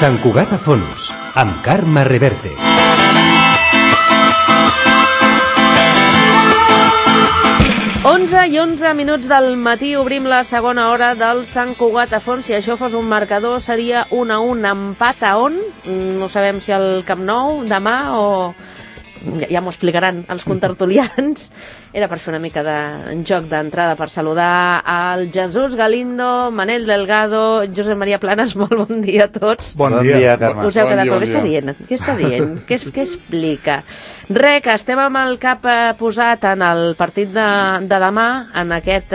Sant Cugat a Fonos, amb Carme Reverte. I 11 minuts del matí obrim la segona hora del Sant Cugat a Fons. Si això fos un marcador seria 1-1, empat a on? No sabem si al Camp Nou demà o... Ja m'ho explicaran els contertulians. Era per fer una mica de joc d'entrada, per saludar al Jesús Galindo, Manel Delgado, Josep Maria Planas. Molt bon dia a tots. Bon dia, Carme. Us heu quedat, però què està dient? Què està dient? Què explica? Re, que estem amb el cap posat en el partit de demà, en aquest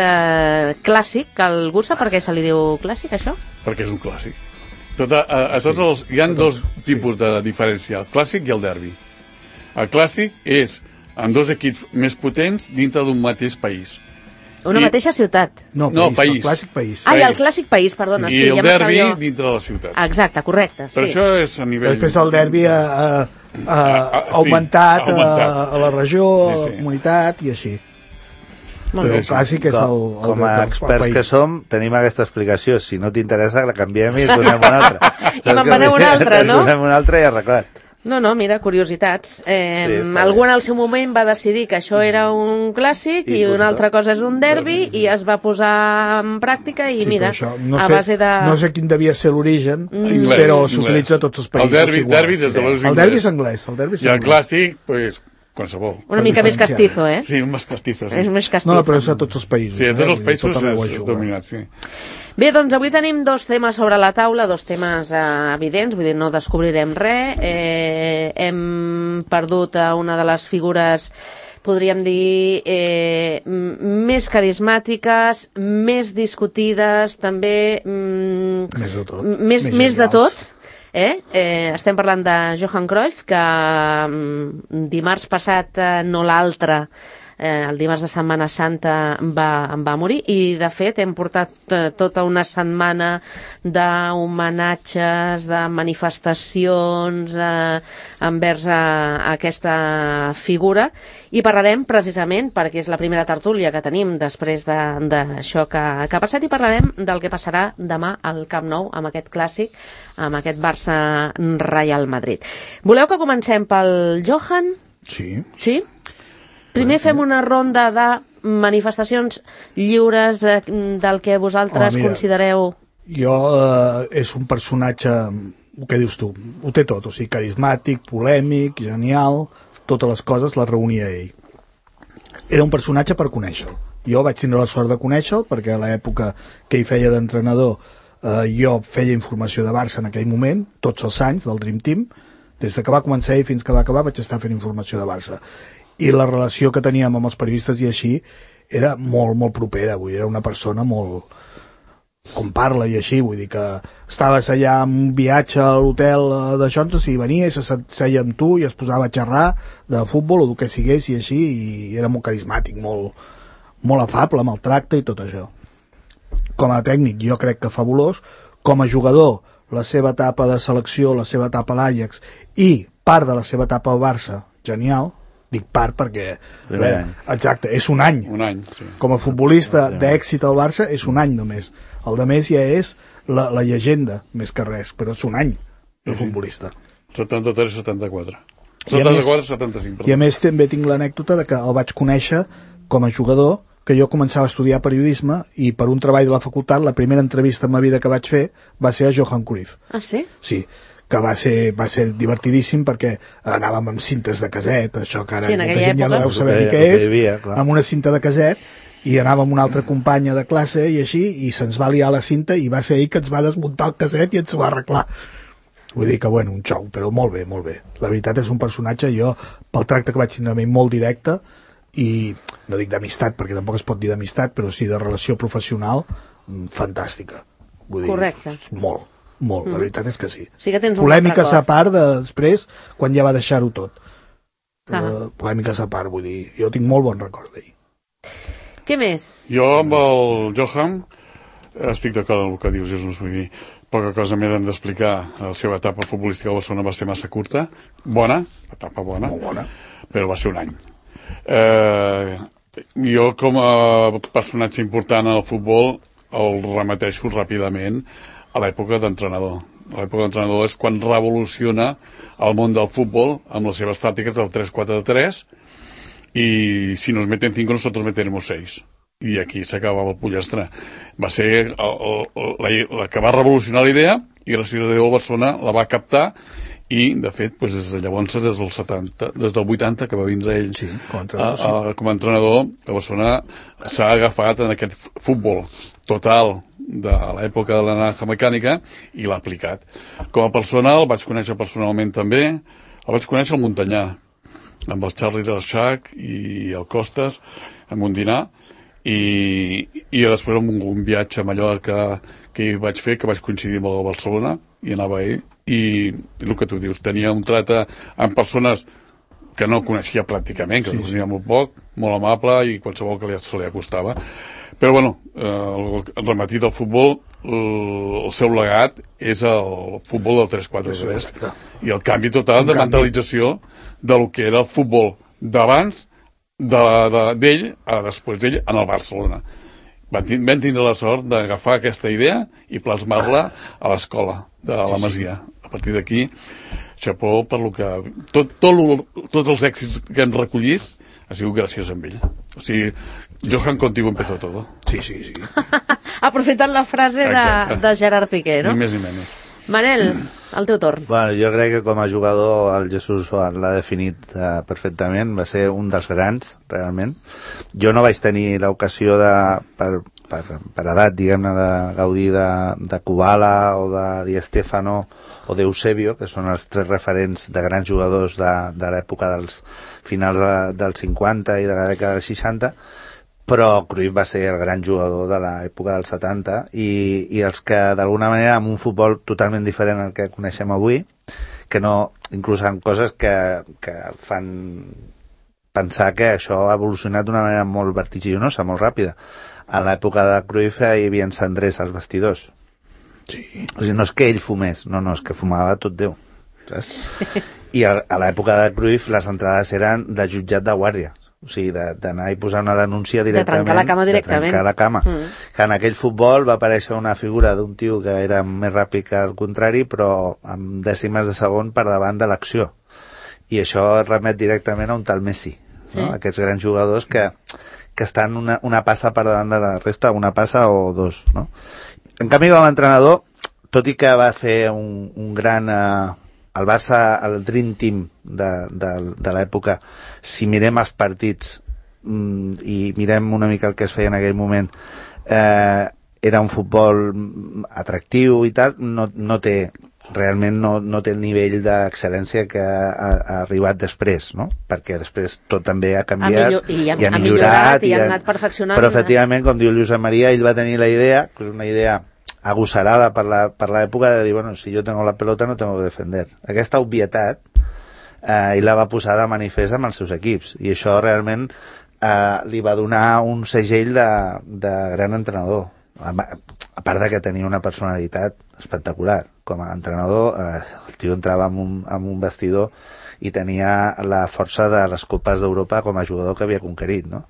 clàssic, que algú sap per què se li diu clàssic, això? Perquè és un clàssic. Hi ha dos tipus de diferència, el clàssic i el derbi. El clàssic és amb dos equips més potents dintre d'un mateix país. Una mateixa ciutat. No, país. El clàssic país. El clàssic país, perdona. I el derbi dintre de la ciutat. Exacte, correcte. Però això és a nivell... Després el derbi ha augmentat a la regió, a la comunitat i així. Però el clàssic és el com a experts que som, tenim aquesta explicació. Si no t'interessa, la canviem i donem una altra. I me'n donem una altra, no? Donem una altra i arreglat. No, mira, curiositats. Algú en el seu moment va decidir que això era un clàssic i una altra cosa és un derbi i es va posar en pràctica i mira, a base de... No sé quin devia ser l'origen, però s'utilitza a tots els països. El derbi és anglès. I el clàssic, doncs, qualsevol. Una mica més castizo, eh? Sí, més castizo. És més castizo. No, però és a tots els països. Sí, a tots els països és dominat, sí. Bé, doncs avui tenim dos temes sobre la taula, dos temes evidents, vull dir, no descobrirem res. Hem perdut una de les figures, podríem dir, més carismàtiques, més discutides, també... Més de tot. Estem parlant de Johan Cruyff, que dimarts passat, no l'altre, el dimarts de Setmana Santa va morir i de fet hem portat tota una setmana d'homenatges, de manifestacions envers aquesta figura i parlarem precisament perquè és la primera tertúlia que tenim després d'això que ha passat i parlarem del que passarà demà al Camp Nou amb aquest clàssic, amb aquest Barça-Real Madrid. Voleu que comencem pel Johan? Sí. Sí? Primer fem una ronda de manifestacions lliures del que vosaltres considereu... Jo, és un personatge, el que dius tu, ho té tot, o sigui, carismàtic, polèmic, genial, totes les coses les reunia ell. Era un personatge per conèixer-lo. Jo vaig tindre la sort de conèixer-lo perquè a l'època que ell feia d'entrenador jo feia informació de Barça en aquell moment, tots els anys del Dream Team, des que va començar ell fins que va acabar vaig estar fent informació de Barça. I la relació que teníem amb els periodistes i així era molt, molt propera, vull dir, era una persona molt... com parla i així, vull dir que estaves allà en un viatge a l'hotel de Johnson i venia i seia amb tu i es posava a xerrar de futbol o del que sigués i així, i era molt carismàtic, molt afable amb el tracte i tot això. Com a tècnic jo crec que fabulós, com a jugador la seva etapa de selecció, la seva etapa a l'Ajax i part de la seva etapa al Barça, genial. Dic part perquè, exacte, és un any. Sí. Com a futbolista d'èxit al Barça és un any només. El de més ja és la llegenda, més que res, però és un any de futbolista. 73-74. 74-75, perdó. I a més també tinc l'anècdota de que el vaig conèixer com a jugador, que jo començava a estudiar periodisme i per un treball de la facultat la primera entrevista en ma vida que vaig fer va ser a Johan Cruyff. Ah, sí? Sí, que va ser divertidíssim perquè anàvem amb cintes de caset, això que ara molta gent ja no deu saber ni què és, amb una cinta de caset, i anàvem amb una altra companya de classe i així, i se'ns va liar la cinta i va ser ell que ens va desmuntar el caset i ens ho va arreglar. Vull dir que, bueno, un xou, però molt bé, molt bé. La veritat és un personatge, jo, pel tracte que vaig tindre amb ell, molt directe, i no dic d'amistat, perquè tampoc es pot dir d'amistat, però sí de relació professional, fantàstica. Vull dir, correcte. Molt. La veritat és que sí. Sí que tens polèmiques a part després, quan ja va deixar-ho tot. Polèmiques a part, vull dir, jo tinc molt bon record d'ell. Què més? Jo amb el Johan estic d'acord amb el que dius, Jesús, vull dir, poca cosa més hem d'explicar. La seva etapa futbolística a Barcelona va ser massa curta, etapa bona, molt bona, però va ser un any. Jo com a personatge important al futbol el remeteixo ràpidament a l'època d'entrenador. a l'època de l'entrenador, és quan revoluciona el món del futbol amb les seves tàctiques del 3-4-3, i si nos meten 5 nosotros meteremos 6. I aquí s'acabava el pollastre. Va ser la que va revolucionar la idea, i gràcies a Déu el Barcelona la va captar, i de fet des de llavors, des del 80 que va vindre ell com a entrenador, el Barcelona s'ha agafat en aquest futbol total de l'època de la naranja mecànica i l'ha aplicat. Com a persona el vaig conèixer personalment també, el vaig conèixer al Montanyà, amb el Charlie Reixac i el Costas en un dinar, i després en un viatge a Mallorca que hi vaig fer, que vaig coincidir amb el Barcelona, i anava ell, i el que tu dius, tenia un tracte amb persones que no coneixia pràcticament, que no coneixia molt poc, molt amable, i qualsevol que se li acostava. Però bueno, el rematí del futbol, el seu legat és el futbol del 3-4-3, i el canvi total de mentalització del que era el futbol d'abans d'ell a després d'ell en el Barcelona. Vam tindre la sort d'agafar aquesta idea i plasmar-la a l'escola de la Masia. A partir d'aquí, xapó per lo que... Tots els èxits que hem recollit ha sigut gràcies a ell. O sigui, Johan, contigo empezó todo. Sí. Aprofitant la frase de Gerard Piqué, no? Ni més ni menys. Manel, el teu torn. Bueno, jo crec que com a jugador el Jesús l'ha definit perfectament, va ser un dels grans, realment. Jo no vaig tenir l'ocasió per edat, diguem-ne, de gaudir de Kubala o de Di Stéfano o d'Eusebio, que són els 3 referents de grans jugadors de l'època dels finals dels 50 i de la dècada dels 60, però Cruyff va ser el gran jugador de l'època dels 70 i els que d'alguna manera amb un futbol totalment diferent al que coneixem avui, que no, inclús amb coses que fan pensar que això ha evolucionat d'una manera molt vertiginosa, molt ràpida. A l'època de Cruyff hi havia cendrers als vestidors. Sí. O sigui, no és que ell fumés, no, és que fumava tot Déu, saps? I a l'època de Cruyff les entrades eren de jutjat de guàrdia, o sigui, d'anar i posar una denúncia directament, de trencar la cama directament, de trencar la cama. Que en aquell futbol va aparèixer una figura d'un tio que era més ràpid que el contrari, però amb dècimes de segon per davant de l'acció, i això es remet directament a un tal Messi, no? Aquests grans jugadors que estan una passa per davant de la resta, una passa o dos, no? En canvi, com a entrenador, tot i que va fer un gran... el Barça, el Dream Team de l'època, si mirem els partits i mirem una mica el que es feia en aquell moment, era un futbol atractiu i tal, no té realment no té el nivell d'excel·lència que ha arribat després, no? Perquè després tot també ha canviat i ha millorat i ha anat perfeccionant. Però efectivament, com diu Josep Maria, ell va tenir la idea, que és una idea agosarada per l'època, de dir, bueno, si yo tengo la pelota no tengo que defender. Aquesta obvietat ell la va posar de manifest amb els seus equips, i això realment li va donar un segell de gran entrenador, a part de que tenia una personalitat espectacular. Com a entrenador, el tio entrava en un vestidor i tenia la força de les copes d'Europa com a jugador que havia conquerit, no?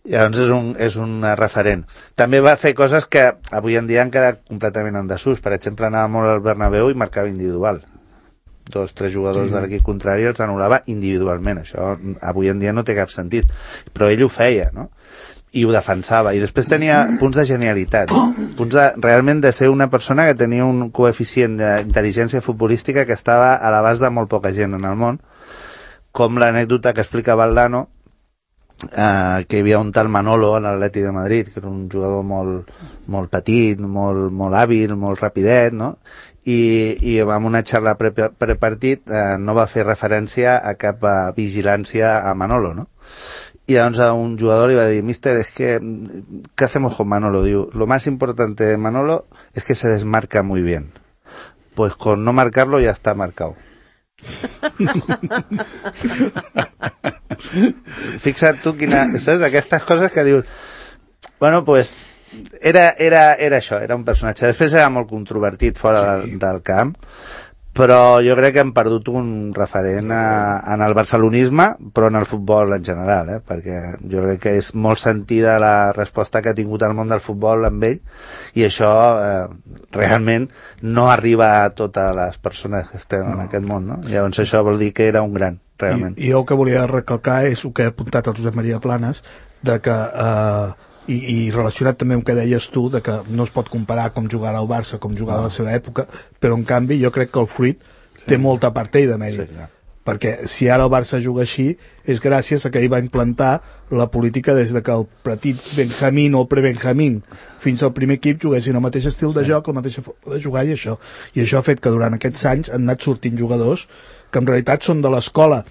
Llavors és un referent. També va fer coses que avui en dia han quedat completament en desús. Per exemple, anava molt al Bernabéu i marcava individual. 2-3 jugadors de l'equip contrari els anul·lava individualment. Això avui en dia no té cap sentit. Però ell ho feia, no? I ho defensava. I després tenia punts de genialitat. Punts realment de ser una persona que tenia un coeficient d'intel·ligència futbolística que estava a l'abast de molt poca gent en el món. Com l'anècdota que explica Valdano, que hi havia un tal Manolo en l'Atleti de Madrid, que era un jugador molt petit, molt hàbil, molt rapidet, no? I amb una xarra prepartit no va fer referència a cap vigilància a Manolo, no? Y llavors a un jugador li va dir, mister, es que, ¿qué hacemos con Manolo? Diu, lo más importante de Manolo es que se desmarca muy bien. Pues con no marcarlo ya está marcado. Fixa't tu saps? Aquestes coses que dius, bueno, pues era això, era un personatge. Després era molt controvertit fora del camp, però jo crec que hem perdut un referent en el barcelonisme, però en el futbol en general, perquè jo crec que és molt sentida la resposta que ha tingut el món del futbol amb ell, i això realment no arriba a totes les persones que estem en aquest món, no? Llavors això vol dir que era un gran, realment. I jo el que volia recalcar és el que ha apuntat el Josep Maria Planes, de que i relacionat també amb el que deies tu, de que no es pot comparar com jugava el Barça com jugava a la seva època, però en canvi jo crec que el fruit té molta part ell de mèrit, perquè si ara el Barça juga així és gràcies a que ell va implantar la política des de que el petit Benjamín o el pre-Benjamín fins al primer equip juguessin el mateix estil de joc, la mateixa forma de jugar, i això ha fet que durant aquests anys han anat sortint jugadors que en realitat són de l'escola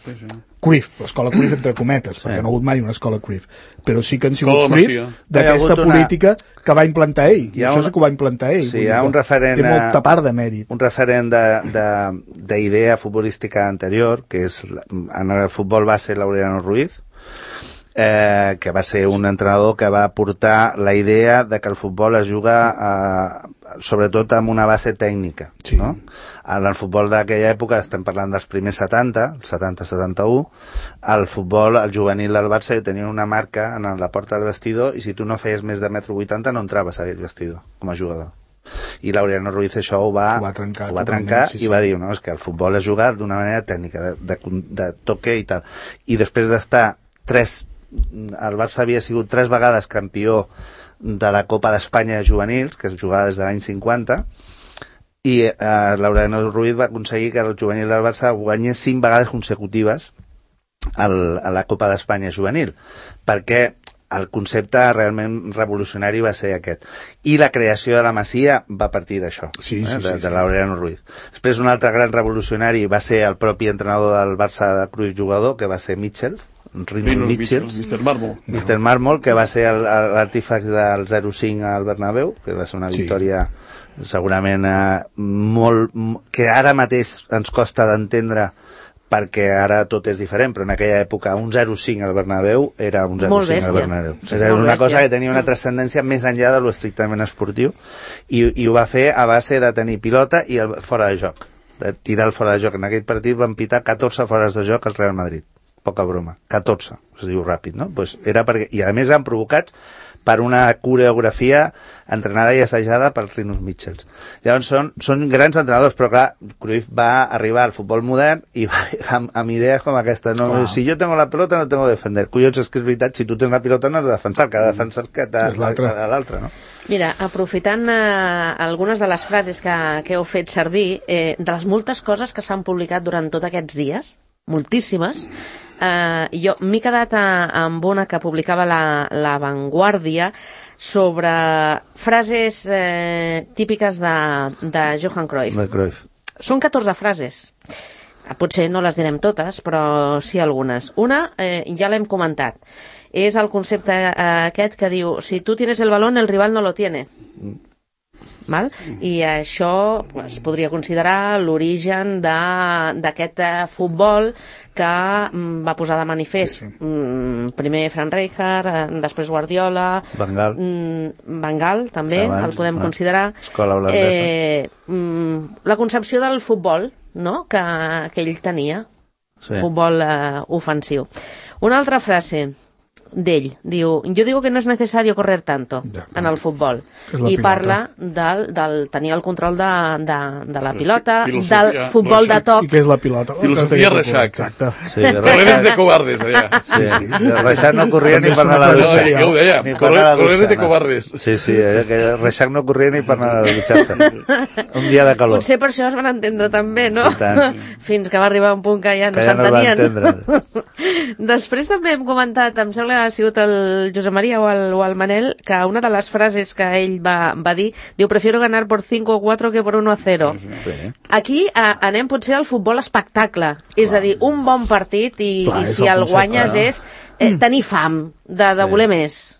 Cruyff, l'escola Cruyff entre cometes, perquè no ha hagut mai una escola Cruyff, però sí que han sigut fruit d'aquesta política que va implantar ell, i això sí que ho va implantar ell. Sí, hi ha un referent, té molta part de mèrit. Un referent d'idea futbolística anterior, que és, en el futbol va ser Laureano Ruiz, que va ser un entrenador que va portar la idea de que el futbol es juga sobretot amb una base tècnica, no? En el futbol d'aquella època, estem parlant dels primers 70, el 70-71, el futbol, el juvenil del Barça tenia una marca en la porta del vestidor, i si tu no feies més de 1,80 m no entraves a aquell vestidor com a jugador. I Laureano Ruiz això ho va trencar i va dir, no, és que el futbol es juga d'una manera tècnica, de toque i tal. I després d'estar el Barça havia sigut 3 vegades campió de la Copa d'Espanya de juvenils, que es jugava des de l'any 50, i Laureano Ruiz va aconseguir que el juvenil del Barça guanyés 5 vegades consecutives a la Copa d'Espanya juvenil, perquè el concepte realment revolucionari va ser aquest. I la creació de la Masia va partir d'això, de Laureano Ruiz. Després un altre gran revolucionari va ser el propi entrenador del Barça de Cruyff jugador, que va ser Michels, Mr. Marmol, que va ser l'artífex del 0-5 al Bernabéu, que va ser una victòria segurament que ara mateix ens costa d'entendre, perquè ara tot és diferent, però en aquella època un 0-5 al Bernabéu era un 0-5 al Bernabéu. Era una cosa que tenia una transcendència més enllà de lo estrictament esportiu, i ho va fer a base de tenir pilota i el fora de joc, de tirar el fora de joc. En aquell partit van pitar 14 fores de joc al Real Madrid. Poca broma, 14, es diu ràpid, no? Pues era perquè, i a més han provocats per una coreografia entrenada i assajada per Rinus Michels. Llavors són grans entrenadors, però clar, Cruyff va arribar al futbol modern i va amb idees com aquesta. No, si jo tengo la pelota no tengo que defender. Collons, és que és veritat, si tu tens la pilota no has de defensar, que ha de defensar l'altre, no? Mira, aprofitant algunes de les frases que heu fet servir, de les moltes coses que s'han publicat durant tots aquests dies, moltíssimes, jo m'he quedat amb una que publicava la Vanguardia sobre frases típiques de Johan Cruyff. Són 14 frases. Potser no les direm totes, però sí algunes. Una, ja l'hem comentat, és el concepte aquest que diu: si tu tienes el balón, el rival no lo tiene. Val? I això es podria considerar l'origen d'aquest futbol que va posar de manifest primer Frank Rijkaard, després Guardiola, Van Gaal també el podem considerar, la concepció del futbol, no? que ell tenia, futbol ofensiu. Una altra frase d'ell, diu: yo digo que no es necesario correr tanto en el futbol, i parla del tenir el control de la pilota, del futbol de toc. I què és la pilota? Filosofia Reixac. Correres de cobardes, allà. Reixac no corria ni per anar a la dutxa. Ja ho deia, correres de cobardes. Sí, Reixac no corria ni per anar a dutxar-se. Un dia de calor. Potser per això es van entendre també, no? Fins que va arribar un punt que ja no s'entenien. Després també hem comentat, em sembla ha sigut el Josep Maria o el Manel, que una de les frases que ell va dir, diu: prefiero ganar por 5 o 4 que por 1 a 0. Aquí anem potser al futbol espectacle, és a dir, un bon partit i si el guanyes és tenir fam de voler més,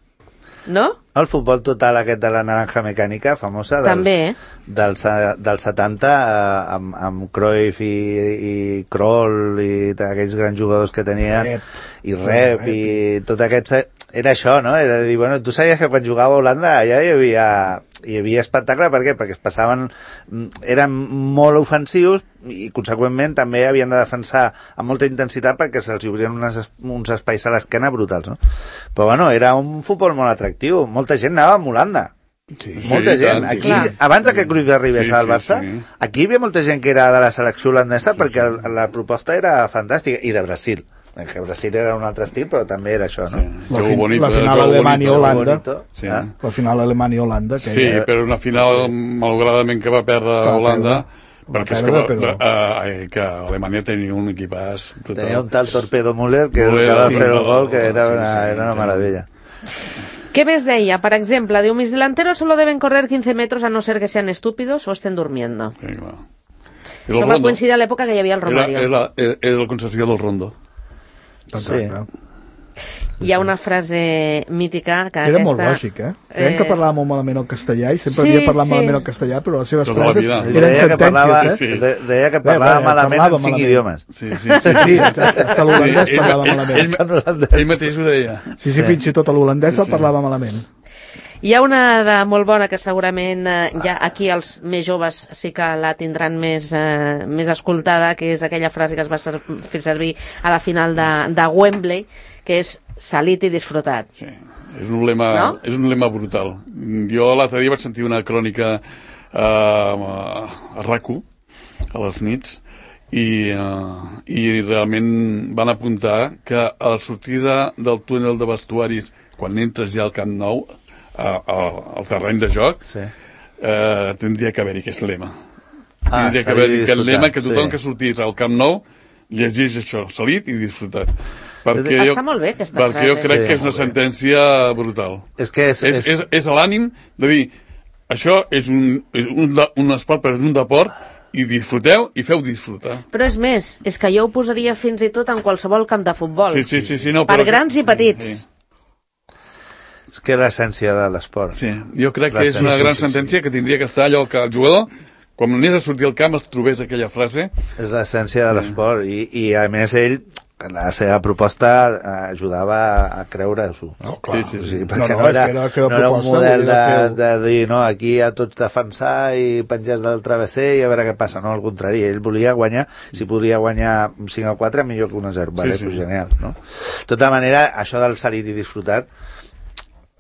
no? El futbol total aquest de la naranja mecànica famosa del 70 amb Cruyff i Kroll i aquells grans jugadors que tenien, i Rep i tot aquest, era això, no? Era de dir, bueno, tu sabies que quan jugava a Holanda allà hi havia hi havia espectacle, per què? Perquè es passaven, eren molt ofensius i conseqüentment també havien de defensar amb molta intensitat perquè se'ls obrien uns espais a l'esquena brutals, no? Però bueno, era un futbol molt atractiu, molta gent anava a Holanda. Sí, Molta gent. tant, Aquí, clar. abans de que Cruyff arribés al Barça, aquí hi havia molta gent que era de la selecció holandesa perquè la proposta era fantàstica, i de Brasil. Que Brasil era un altre estil, però també era això, no? La final Alemanya-Holanda. Sí. La final Alemanya-Holanda. Sí, però una final, malauradament, que va perdre Holanda, perquè és que Alemanya tenia un equipàs total. Tenia un tal Torpedo Müller que va fer el gol, que era una meravella. ¿Qué més deia? Per exemple, diu, mis delanteros solo deben correr 15 metros a no ser que sean estúpidos o estén durmiendo. Sí, clar. Això va coincidir a l'època que hi havia el Romario. Era la concessió del Rondo. Sí. Hi ha una frase mítica que era molt lògic, Creiem que parlava molt malament el castellà i sempre havia parlat malament el castellà, però les seves frases eren sentències, Deia que parlava malament en 5 idiomes. Sí, hasta l'holandès parlava malament. Ell mateix ho deia. Sí, fins i tot l'holandès el parlava malament. Hi ha una de molt bona que segurament ja aquí els més joves sí que la tindran més escoltada, que és aquella frase que es va fer servir a la final de Wembley, que és salit i disfrutat. Sí, és un lema brutal. Jo l'altre dia vaig sentir una crònica a RAC1 a les nits i realment van apuntar que a la sortida del túnel de vestuaris, quan entres ja al Camp Nou, al terreny de joc, tindria que haver-hi aquest lema. Tindria que haver-hi aquest lema que tothom que sortís al Camp Nou llegís això, salit i disfrutat. Està molt bé aquesta frase. Perquè jo crec que és una sentència brutal. És l'ànim de dir, això és un esport, però és un deport, i disfruteu i feu disfrutar. Però és més, és que jo ho posaria fins i tot en qualsevol camp de futbol. Sí, per grans i petits. És que és l'essència de l'esport. Sí, jo crec que és una gran sentència que tindria que estar allò que el jugador, quan anés a sortir al camp, es trobés aquella frase. És l'essència de l'esport i a més ell, la seva proposta ajudava a creure-s'ho. No, clar. Perquè no era un model de dir, no, aquí a tots defensar i penjar del travesser i a veure què passa. No, al contrari, ell volia guanyar, si podia guanyar 5-4, millor que 1-0. Vale, pues genial, no? De tota manera, això del salit i disfrutar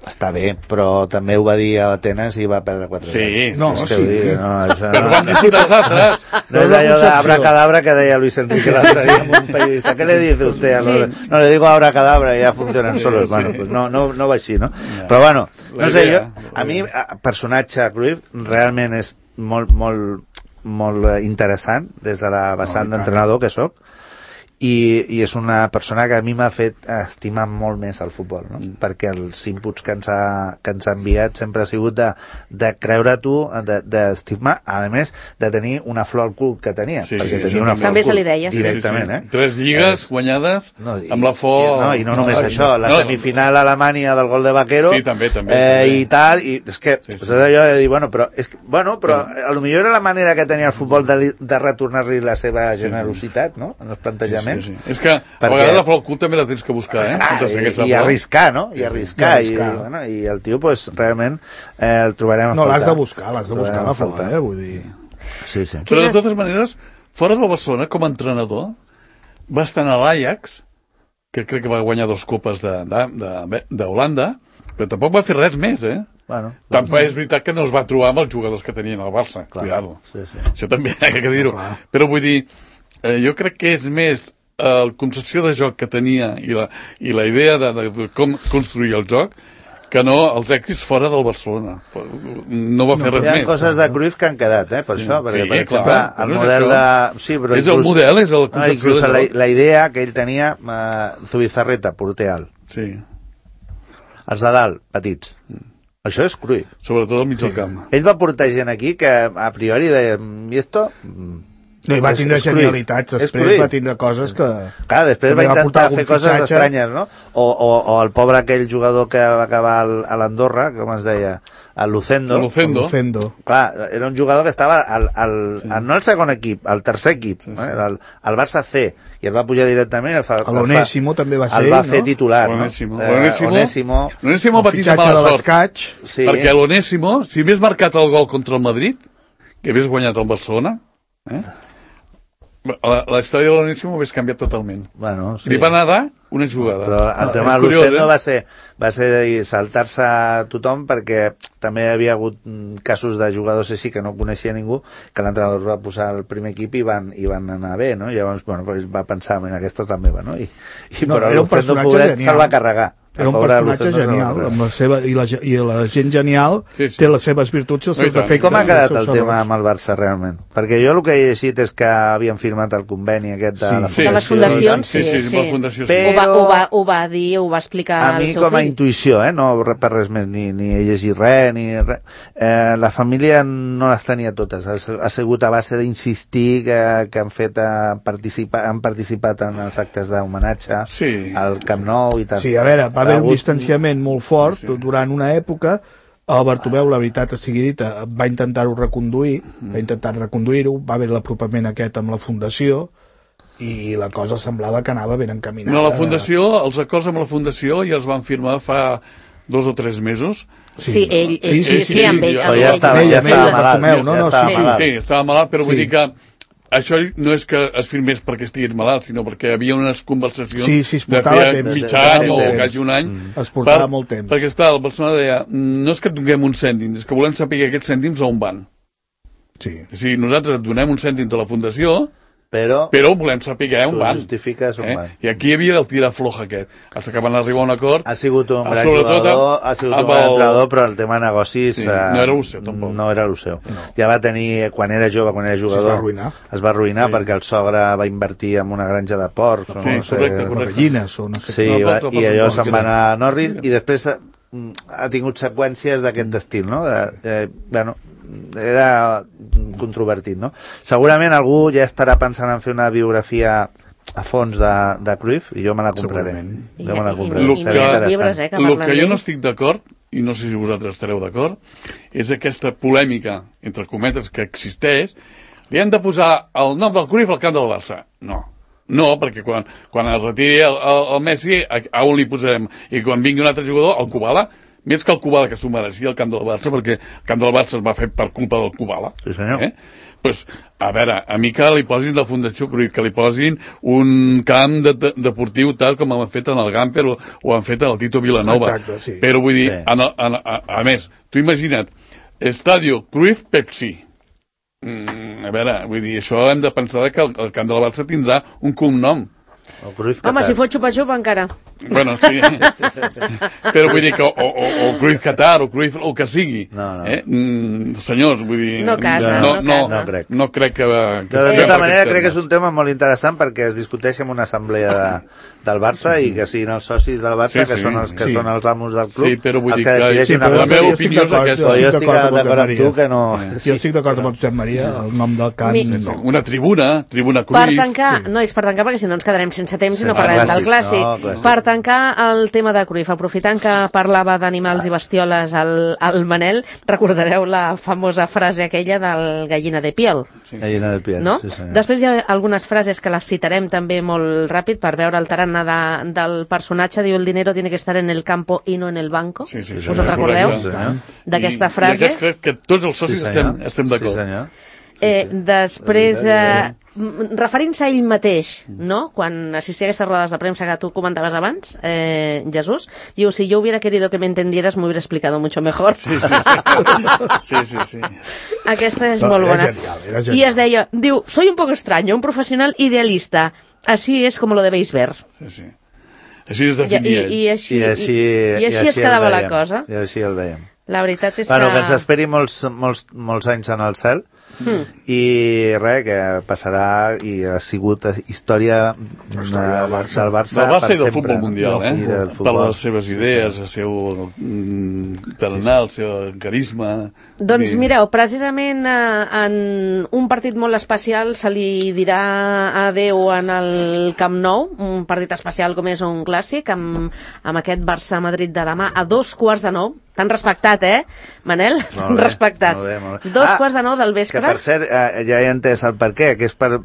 està bé, però també ho va dir a Atenes i va perdre 4-0. Sí. Però van disfrutar els altres. No és allò d'abracadabra que deia Luis Enrique l'altre dia amb un periodista. ¿Qué le dice usted? No, le digo abracadabra y ya funcionan solos. Bueno, pues no va així, no? Però bueno, no sé, jo, a mi, personatge Cruyff realment és molt interessant des de la vessant d'entrenador que soc, i és una persona que a mi m'ha fet estimar molt més el futbol, no? Perquè els inputs que ens ha enviat sempre ha sigut de creure tu, d'estimar, a més de tenir una flor al cul que tenia, perquè tenia una flor també se li deia directament. 3 lligues guanyades amb la flor... I no només això, la semifinal a Alemanya del gol de Vaquero també. I tal, i és que és allò de dir, però a lo millor era la manera que tenia el futbol de retornar-li la seva generositat, no?, en els plantejaments. És que a vegades la flor al cul també la tens que buscar, i arriscar, no? I el tio, pues, realment el trobarem a faltar. No, l'has de buscar la falta, vull dir... Sí. Però de totes maneres, fora del Barcelona, com a entrenador, va estar a l'Ajax, que crec que va guanyar 2 copes d'Holanda, però tampoc va fer res més, Tampoc és veritat que no es va trobar amb els jugadors que tenien al Barça, cuidado. Això també hi ha que dir-ho. Però vull dir, jo crec que és més la concepció de joc que tenia i la idea de com construir el joc que no els èxits fora del Barcelona. No va fer res més. Hi ha coses de Cruyff que han quedat, per això, perquè, per exemple, el model de... És el model, és la concepció de joc. La idea que ell tenia, Zubizarreta, porter alt. Sí. Els de dalt, petits. Això és Cruyff. Sobretot al mig del camp. Ell va portar gent aquí que a priori deia, i esto... No, i va tindre genialitats, després va tindre coses que... Clar, després va intentar fer coses estranyes, no? O el pobre aquell jugador que va acabar a l'Andorra, com es deia, el Lucendo. Clar, era un jugador que estava no al segon equip, al tercer equip, al Barça C, i el va pujar directament. L'Onésimo també va ser, el va fer titular, no? L'Onésimo va tindre mala sort, perquè l'Onésimo, si hagués marcat el gol contra el Madrid, que hagués guanyat el Barcelona, la història de l'Onésimo ho hagués canviat totalment. Bueno, sí. Li va nedar una jugada. Però el tema de Lucendo va ser saltar-se a tothom, perquè també hi havia hagut casos de jugadors així que no coneixia ningú, que l'entrenador va posar al primer equip i van anar bé, no? Llavors, va pensar, aquesta és la meva, no? Però Lucendo se'l va carregar. Era un personatge genial, amb la seva, i la gent genial té les seves virtuts i els seus defectes. Com ha quedat el tema amb el Barça, realment? Perquè jo el que he llegit és que havien firmat el conveni aquest de les fundacions. Sí. Ho va dir, ho va explicar al seu fill. A mi, com a intuïció, no per res més, ni he llegit res, la família no les tenia totes. Ha sigut a base d'insistir que han participat en els actes d'homenatge al Camp Nou i tal. Sí, a veure, va haver un distanciament molt fort durant una època. El Bartomeu, la veritat sigui dita, va intentar-ho reconduir-ho, va haver l'apropament aquest amb la fundació i la cosa semblava que anava ben encaminada. No, la fundació, els acords amb la fundació ja els van firmar fa 2 o 3 mesos. Sí, ell, amb ell. Ja estava malalt. Sí, estava malalt, però vull dir que això no és que es firmés perquè estigués malalt, sinó perquè hi havia unes conversacions de fer mig any o quasi un any. Es portava molt temps. Perquè, esclar, la persona deia, no és que et donem un cèntim, és que volem saber aquests cèntims on van. Sí. O sigui, nosaltres et donem un cèntim de la fundació, però volem saber on van. Justifiques on van. I aquí hi havia el tirar-floja aquest. Fins que van arribar a un acord. Ha sigut un gran jugador, ha sigut un gran entrenador, però el tema de negocis no era el seu, tampoc. No era el seu. Ja va tenir, quan era jove, quan era jugador, es va arruïnar perquè el sogre va invertir en una granja de porcs, correcte. Gallines o no sé. Sí, i allò se'n va anar a Norris, i després ha tingut seqüències d'aquest estil, no? Bueno, era controvertit, no? Segurament algú ja estarà pensant en fer una biografia a fons de Cruyff, i jo me la compraré. Jo me la compraré. El que jo no estic d'acord, i no sé si vosaltres estareu d'acord, és aquesta polèmica, entre cometes, que existeix. Li hem de posar el nom del Cruyff al camp del Barça. No, perquè quan es retiri el Messi, a on li posarem? I quan vingui un altre jugador, el Kubala, més que el Kubala, que s'ho mereixia el camp del Barça, perquè el camp del Barça es va fer per culpa del Kubala. Sí, senyor. Pues, a veure, a mi que li posin la Fundació Cruyff, que li posin un camp deportiu tal com han fet en el Gamper o han fet en el Tito Vilanova. Exacte, sí. Però vull dir, a més, tu imagina't, Estadio Cruyff Pepsi. A veure, vull dir, això hem de pensar que el camp del Barça tindrà un cognom. Home, si fos xupa-xupa encara. Bueno, sí. Però vull dir que o Cruyff Qatar o Cruyff el que sigui. Senyors, vull dir... No casa. No crec que... De tota manera, crec que és un tema molt interessant perquè es discuteix en una assemblea del Barça i que siguin els socis del Barça, que són els que són els amos del club, els que decideixin... La meva opinió és aquesta. Jo estic d'acord amb tu que no... Jo estic d'acord amb Josep Maria, el nom del camp... Una tribuna Cruyff... Per tancar, no és per tancar perquè si no ens quedarem sense temps i no parlarem del clàssic. Per tancar el tema de Cruyff, aprofitant que parlava d'animals i bestioles al Manel, recordareu la famosa frase aquella del gallina de piel. Gallina de piel, no? Sí, senyor. Després hi ha algunes frases que les citarem també molt ràpid per veure el tarannà del personatge. Diu, el dinero tiene que estar en el campo y no en el banco. Sí, us en recordeu? D'aquesta frase. I aquests crec que tots els socis estem d'acord. Sí, senyor. Després, referint-se a ell mateix, no? Quan assistia a aquestes rodes de premsa que tu comentaves abans, Jesús, diu, si yo hubiera querido que me entendieras, me hubiera explicado mucho mejor. Sí. Aquesta és molt bona. Era genial. I es deia, diu, soy un poco extraño, un profesional idealista. Así es como lo debéis ver. Sí. Així es definia ell. I així es quedava la cosa. I així el veiem. La veritat és que ens esperi molts anys en el cel, i res, que passarà i ha sigut història del Barça Del Barça i del sempre. futbol mundial, Del per futbol. les seves idees, el seu tarannà, el seu carisma. Doncs mireu, precisament en un partit molt especial se li dirà adeu en el Camp Nou, un partit especial com és un clàssic, amb aquest Barça-Madrid de demà a 2:15. T'han respectat, Manel? T'han respectat. Molt bé. 2:15 del vespre. Que per cert, ja he entès el per què, que és pel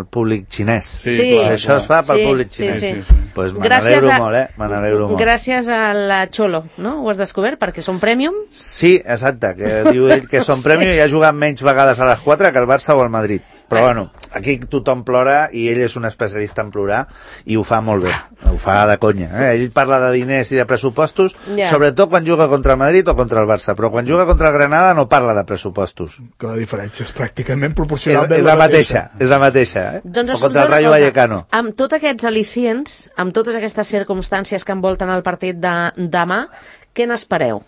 públic xinès. Sí. clar, Això es fa pel públic xinès. Sí. Pues me Gràcies n'alegro a- molt, me n'alegro molt. Gràcies a la Xolo, no? Ho has descobert, perquè són Premium. Sí, exacte, que diu ell que són premi i ha jugat menys vegades a les 4 que el Barça o el Madrid. Però bueno, aquí tothom plora i ell és un especialista en plorar i ho fa molt bé, ho fa de conya. Ell parla de diners i de pressupostos, Ja. sobretot quan juga contra el Madrid o contra el Barça, però quan juga contra el Granada no parla de pressupostos. Que la diferència és pràcticament És proporcionalment la mateixa, és la mateixa. Doncs O escolta contra el una Rayo cosa, Vallecano. amb tots aquests al·licients, amb totes aquestes circumstàncies que envolten el partit de demà, què n'espereu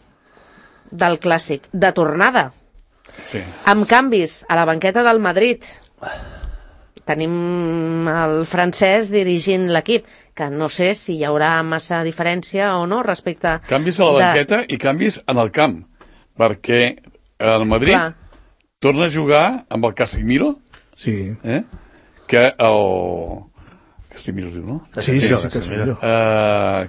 del clàssic? De tornada, Sí. amb canvis a la banqueta del Madrid. Tenim el francès dirigint l'equip, que no sé si hi haurà massa diferència o no respecte... Canvis a la banqueta i canvis en el camp, perquè el Madrid Clar. torna a jugar amb el Casemiro, Sí, que el... Casemiro es diu, no? sí, Casemiro, Casemiro.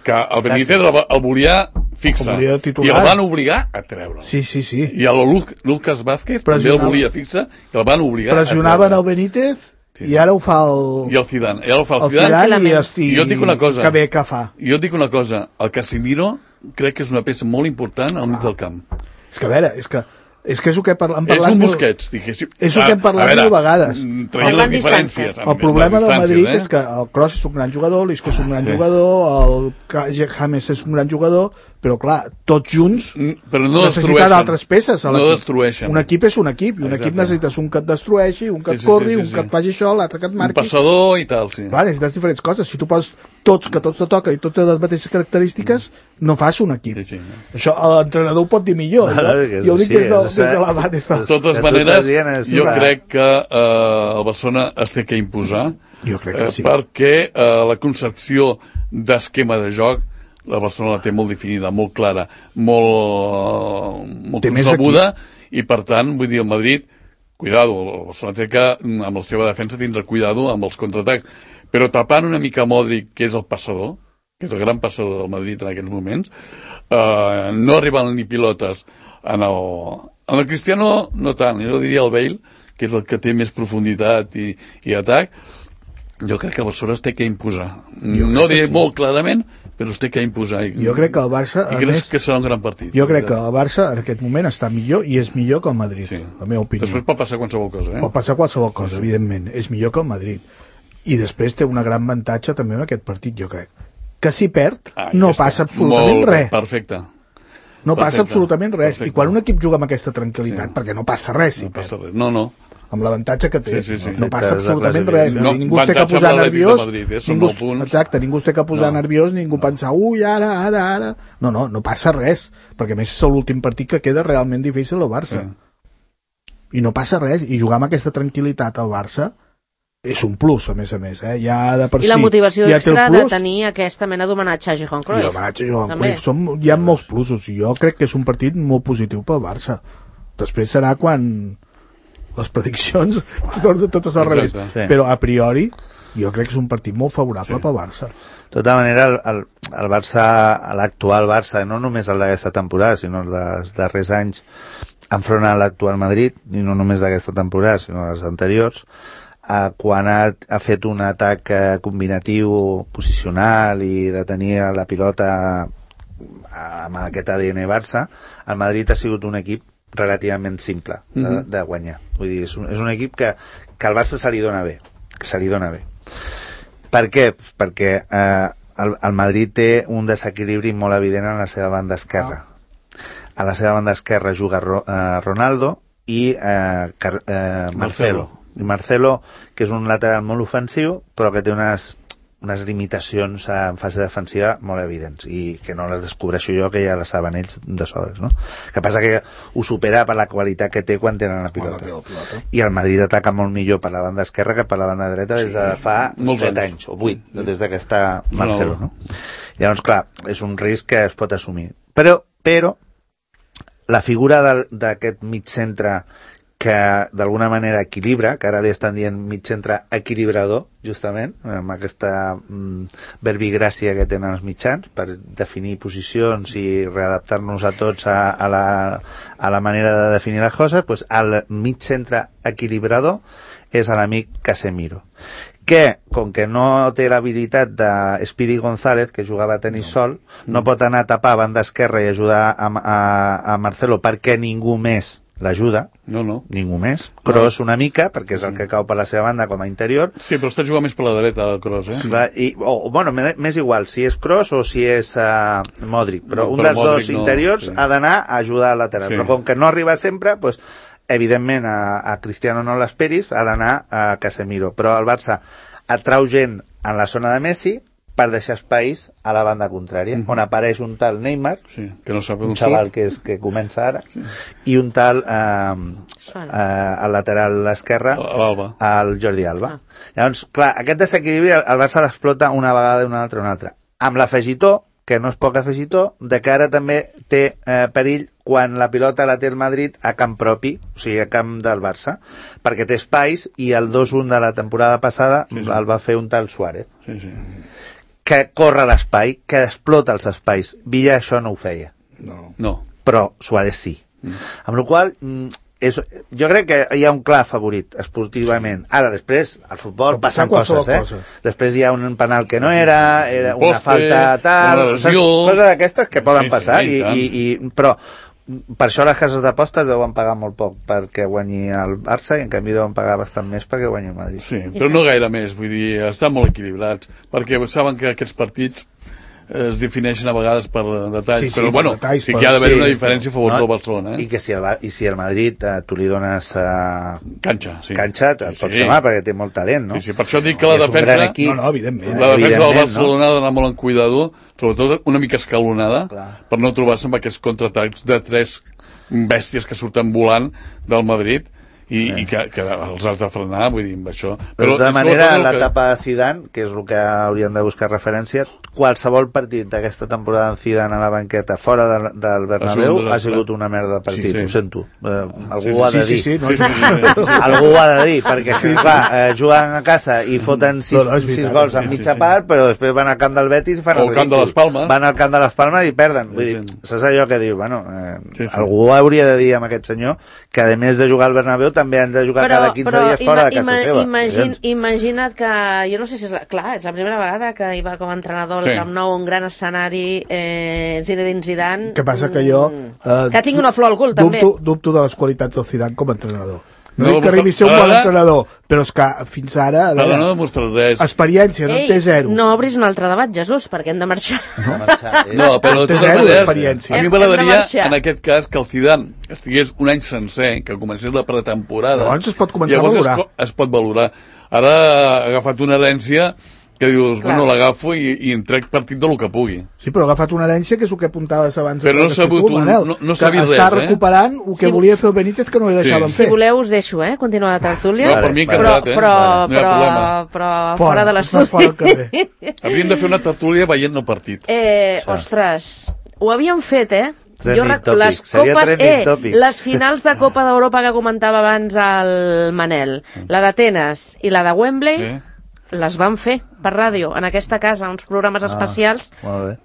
Que el Benítez el volia fixar El volia i titular. el van obligar a treure'l. Sí. I el Lucas Vázquez també el Pressionava. volia fixar i el van obligar Pressionaven a el treure'l. Benítez Sí. i ara ho fa el... I el Zidane. I ara el fa el el Zidane. Zidane i, Tranquil·lament. I jo et dic una cosa. Que bé que fa. Jo et dic una cosa. El Casemiro crec que és una peça molt important al mig del camp. És que a veure, és que és el que hem parlat... És un Busquets, diguéssim. És el que hem parlat A veure, mil vegades. traient Salvant les diferències. distàncies. El problema del Madrid és que... que el Kroos és un gran jugador, l'Isco és un gran jugador, el James és un gran jugador, però clar, tots junts Però no necessiten destrueixen. altres peces a No l'equip. destrueixen. Un equip és un equip, i un equip Exacte. necessites un que et destrueixi, un que et Sí, sí, corri, sí, sí, un que sí. et faci això, l'altre que et Un marqui. passador i tal, sí. Clar, necessites diferents coses. Si tu poses tots, que tots te toca i tots tenen les mateixes característiques, no fas un equip. Sí, sí. Això l'entrenador ho pot dir millor. Jo ho dic des de la mà, des de... De totes que tu maneres, estàs dient és- jo Clar. crec que el Barcelona es té que imposar Jo crec que sí. perquè la concepció d'esquema de joc la Barcelona la té molt definida, molt clara, molt Té més concebuda, i per tant, vull dir, el Madrid, cuidado, el Barcelona té que, amb la seva defensa, tindre cuidado amb els contraatacs, però tapant una mica Modric, que és el passador, que és el gran passador del Madrid en aquests moments, no arriben ni pilotes en el Cristiano no tant, jo diria el Bale, que és el que té més profunditat i atac. Jo crec que el Barcelona es té que imposar. No diré molt clarament, però es té que imposar. Jo crec que el Barça, I a crec més, que serà un gran partit. jo crec que el Barça en aquest moment està millor i és millor que el Madrid, Sí. la meva opinió. Després pot passar qualsevol cosa, Pot passar qualsevol cosa, evidentment. És millor que el Madrid. I després té una gran avantatge també en aquest partit, jo crec. Que si perd, no passa absolutament Molt bé, res. Perfecte. No passa perfecte, absolutament res. perfecte. I quan un equip juga amb aquesta tranquil·litat, Sí. perquè no passa res si No perd, passa res. No. amb l'avantatge que té, Sí, sí, sí. no passa Perfecte, absolutament és la res. classificació. Ningú es té que avantatge posar per l'Atlètic de nerviós, Madrid, són ningú, 9 punts. exacte, ningú es té que posar No. nerviós, ningú pensar, ui, ara. No passa res, perquè a més és l'últim partit que queda realment difícil al Barça. I no passa res, i jugar amb aquesta tranquil·litat al Barça és un plus, a més. Ja de per I la si motivació ja té el extra de plus, tenir aquesta mena d'homenatge a Johan i Cruyff. l'homenatge a Johan També. Cruyff. Hi ha molts plusos, i jo crec que és un partit molt positiu pel Barça. Després serà quan les prediccions tornen totes al revés. Exacte. Sí. Però a priori jo crec que és un partit molt favorable pel Barça. De tota manera, el Barça, l'actual Barça, no només el d'aquesta temporada, sinó els dels darrers anys, enfront a l'actual Madrid, i no només d'aquesta temporada, sinó les anteriors, quan ha fet un atac combinatiu, posicional i de tenir la pilota amb aquest ADN Barça, el Madrid ha sigut un equip relativament simple de guanyar. Vull dir, és un equip que al Barça se li dona bé. Per què? Perquè el Madrid té un desequilibri molt evident en la seva banda esquerra. A la seva banda esquerra juga Ronaldo i Marcelo. I Marcelo, que és un lateral molt ofensiu, però que té unes unes limitacions en fase defensiva molt evidents i que no les descobreixo jo, que ja les saben ells de sobres, no? Que passa que ho supera per la qualitat que té quan tenen la pilota. I el Madrid ataca molt millor per la banda esquerra que per la banda dreta des de fa 7 anys o 8, des de que està Marcelo, no? Llavors, clar, és un risc que es pot assumir. Però la figura d'aquest mig centre que d'alguna manera equilibra, que ara li estan dient mig centre equilibrador, justament, amb aquesta verbigràcia que tenen els mitjans per definir posicions i readaptar-nos a tots a la manera de definir les coses, doncs el mig centre equilibrador és l'amic Casemiro, que, com que no té l'habilitat de Speedy González, que jugava a tenis sol, no pot anar a tapar a banda esquerra i ajudar a Marcelo perquè ningú més l'ajuda, ningú més. Kroos una mica, perquè és el que cau per la seva banda com a interior. Sí, però està jugant més per la dreta, el Kroos, Bueno, m'és igual, si és Kroos o si és Modric, però un dels dos interiors ha d'anar a ajudar al lateral. Però com que no arriba sempre, doncs, evidentment a Cristiano no l'esperis, ha d'anar a Casemiro. Però el Barça atrau gent en la zona de Messi per deixar espais a la banda contrària, on apareix un tal Neymar, que no sap un xaval que comença ara, i un tal al lateral esquerre, el Jordi Alba. Llavors, clar, aquest desequilibri el Barça l'explota una vegada i una altra. Amb l'afegitó, que no és poc afegitó, de que ara també té perill quan la pilota la té el Madrid a camp propi, o sigui, a camp del Barça, perquè té espais, i el 2-1 de la temporada passada el va fer un tal Suárez. Que corre l'espai, que explota els espais. Villa això no ho feia. No. Però Suárez sí. Amb la qual cosa, jo crec que hi ha un clar favorit esportivament. Ara, després, al futbol passen coses, Després hi ha un penal que no era una falta tal, coses d'aquestes que poden passar, però per això les cases d'apostes deuen pagar molt poc perquè guanyi el Barça, i en canvi deuen pagar bastant més perquè guanyi el Madrid. Sí, però no gaire més, vull dir, estan molt equilibrats, perquè saben que aquests partits es defineixen a vegades per detalls, però bueno, sí que hi ha d'haver una diferència a favor del Barcelona. I que si el Madrid tu li dones canxa, et pot semblar, perquè té molt talent, no? Sí, per això dic que la defensa evidentment. La defensa del Barcelona ha d'anar molt en cuidado, sobretot una mica escalonada, per no trobar-se amb aquests contraatacs de 3 bèsties que surten volant del Madrid i que els has de frenar, vull dir, amb això. Però de tota manera, l'etapa de Zidane, que és el que hauríem de buscar referència, qualsevol partit d'aquesta temporada en Zidane a la banqueta fora del Bernabéu ha sigut una merda de partit, ho sento. Algú ho ha de dir. Algú ho ha de dir, perquè clar, juguen a casa i foten 6 gols en mitja part, però després van al camp del Betis i fan el ridícul. Van al camp de les Palmes i perden. Vull dir, saps allò que dius? Bueno, algú hauria de dir amb aquest senyor que a més de jugar al Bernabéu també han de jugar cada 15 dies fora de casa seva. Imagina't que, jo no sé si és és la primera vegada que hi va com a entrenador al Camp Nou, un gran escenari, Zinedine Zidane. Que passa que jo que tinc una flor al cul també. Dubto de les qualitats del Zidane com a entrenador. No dic que arribi a ser un bon entrenador, però és que fins ara, a veure, experiència, no en té 0. No obris un altre debat, Jesús, perquè hem de marxar. No, però de totes maneres, a mi m'agradaria, en aquest cas, que el Zidane estigués un any sencer, que comencés la pretemporada. Llavors es pot començar a valorar. Es pot valorar. Ara ha agafat una herència que dius, bueno, l'agafo i en trec partit del que pugui. Sí, però ha agafat una herència que és el que apuntaves abans. Però no s'ha vist res, està recuperant el que volia fer el Benítez que no li deixaven fer. Si voleu us deixo, continuar la tertúlia. No, per mi encantat, però fora de l'estudi. Hauríem de fer una tertúlia veient el partit. Ostres, ho havíem fet, les finals de Copa d'Europa que comentava abans el Manel, la d'Atenes i la de Wembley, les van fer per ràdio, en aquesta casa, uns programes especials. Molt bé.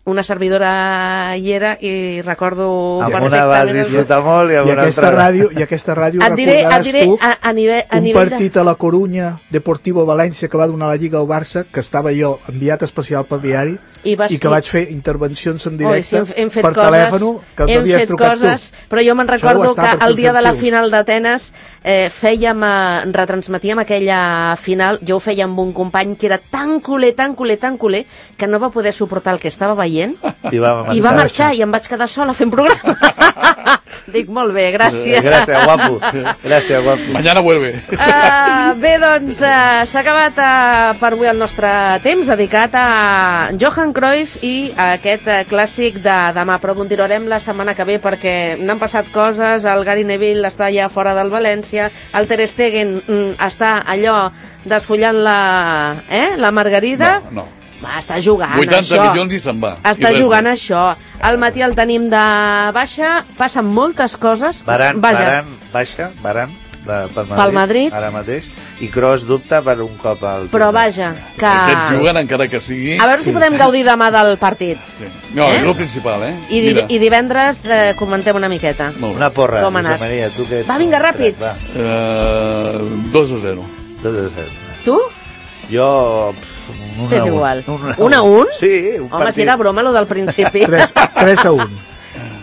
Una servidora hi era i recordo amb una vas disfrutar molt i amb una altra... I aquesta ràdio recordaràs tu un partit a la Corunya, Deportivo València, que va donar la Lliga al Barça, que estava jo enviat especial pel diari i que vaig fer intervencions en directe per telèfon, que m'havies trucat tu. Però jo me'n recordo que el dia de la final d'Atenes retransmetíem aquella final, jo ho feia amb un company que era tan culer, que no va poder suportar el que estava veient i va marxar i em vaig quedar sola fent programa. Dic, molt bé, gràcies. Gràcies, guapo. Gràcies, guapo. Mañana vuelve. Bé, doncs, s'ha acabat per avui el nostre temps dedicat a Johan Cruyff i a aquest clàssic de demà, però continuarem la setmana que ve perquè n'han passat coses, el Gary Neville està ja fora del València, el Ter Stegen està allò desfollant la margarida. No. Va, està jugant 80 això. milions i se'n va. Està jugant això. Al matí el tenim de baixa, passen moltes coses. Baran baixa, pel Madrid, ara mateix, i Kroos dubta per un cop al... Però vaja, que... Aquests juguen encara que sigui... A veure si podem gaudir demà del partit. Sí. No, és el principal, I divendres comentem una miqueta. Una porra, com ha anat. Maria, tu que ets... Va, vinga, ràpid. 2-0. 2-0. Tu? Jo... T'és igual. 1-1? Sí, un partit. Home, si era broma, lo del principi. 3-1.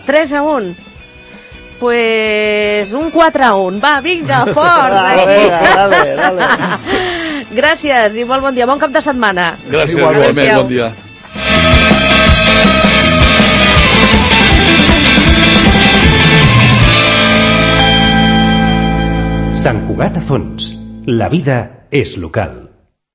3-1. Pues un 4-1. Va, vinga, fort. Dale. Gràcies i molt bon dia. Bon cap de setmana. Gràcies, igualment, bon dia. Sant Cugat a Fons. La vida és local.